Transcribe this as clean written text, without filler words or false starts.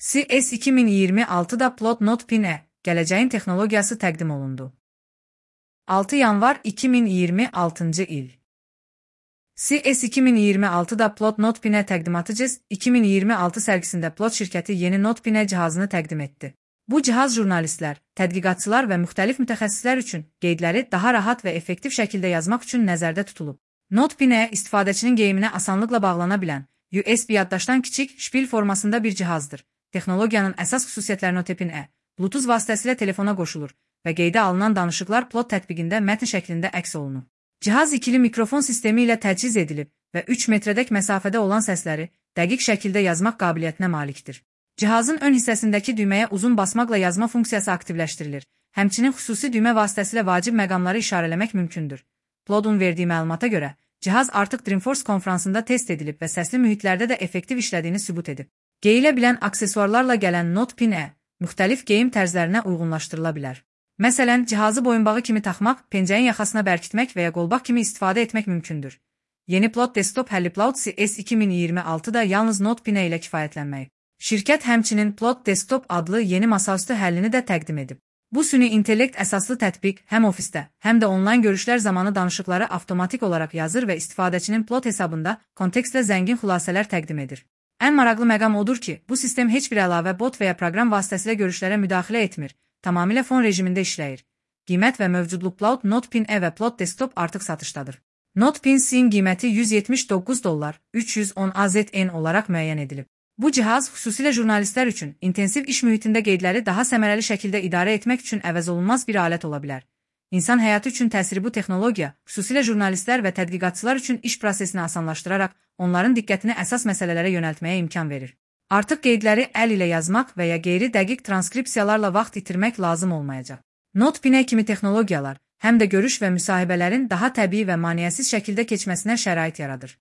CES 2026-da Plot Notepad gələcəyin texnologiyası təqdim olundu. 6 yanvar 2026-cı il. CES 2026-da Plot Notepad təqdimatı CES 2026 sərgisində Plot şirkəti yeni Notepad cihazını təqdim etdi. Bu cihaz jurnalistlər, tədqiqatçılar və müxtəlif mütəxəssislər üçün qeydləri daha rahat və effektiv şəkildə yazmaq üçün nəzərdə tutulub. Notepad istifadəçinin geyiminə asanlıqla bağlana bilən, USB yaddaşdan kiçik, şpil formasında bir cihazdır. Texnologiyanın əsas xüsusiyyətləri Notepad Bluetooth vasitəsilə telefona qoşulur və qeydə alınan danışıqlar Plot tətbiqində mətn şəklində əks olunur. Cihaz ikili mikrofon sistemi ilə təchiz edilib və 3 metrədək məsafədə olan səsləri dəqiq şəkildə yazmaq qabiliyyətinə malikdir. Cihazın ön hissəsindəki düyməyə uzun basmaqla yazma funksiyası aktivləşdirilir. Həmçinin xüsusi düymə vasitəsilə vacib məqamları işarələmək mümkündür. Plotun verdiyi məlumata görə, cihaz artıq Dreamforce konfransında test edilib və səsli mühitlərdə də effektiv işlədiyini sübut edib. Geyilə bilən aksesuarlarla gələn Notepad müxtəlif geyim tərzlərinə uyğunlaşdırıla bilər. Məsələn, cihazı boyunbağı kimi taxmaq, pencəyin yaxasına bərkitmək və ya qolbaq kimi istifadə etmək mümkündür. Yeni Plot desktop həlli Plot CES 2026-da yalnız Notepad ilə kifayətlənməyib. Şirkət həmçinin Plot desktop adlı yeni masaüstü həllini də təqdim edib. Bu süni intellekt əsaslı tətbiq həm ofisdə, həm də onlayn görüşlər zamanı danışıqları avtomatik olaraq yazır və istifadəçinin Plot hesabında kontekstlə zəngin xülasələr təqdim edir. Ən maraqlı məqam odur ki, bu sistem heç bir əlavə bot və ya proqram vasitəsilə görüşlərə müdaxilə etmir, tamamilə fon rejimində işləyir. Qiymət və mövcudluq Plot Notepad və Plot desktop artıq satışdadır. Notepad-in qiyməti $179, 310 AZN olaraq müəyyən edilib. Bu cihaz xüsusilə jurnalistlər üçün intensiv iş mühitində qeydləri daha səmərəli şəkildə idarə etmək üçün əvəzolunmaz bir alət ola bilər. İnsan həyatı üçün təsiri bu texnologiya, xüsusilə jurnalistlər və tədqiqatçılar üçün iş prosesini asanlaşdıraraq, onların diqqətini əsas məsələlərə yönəltməyə imkan verir. Artıq qeydləri əl ilə yazmaq və ya qeyri-dəqiq transkripsiyalarla vaxt itirmək lazım olmayacaq. Notepad kimi texnologiyalar həm də görüş və müsahibələrin daha təbii və maneəsiz şəkildə keçməsinə şərait yaradır.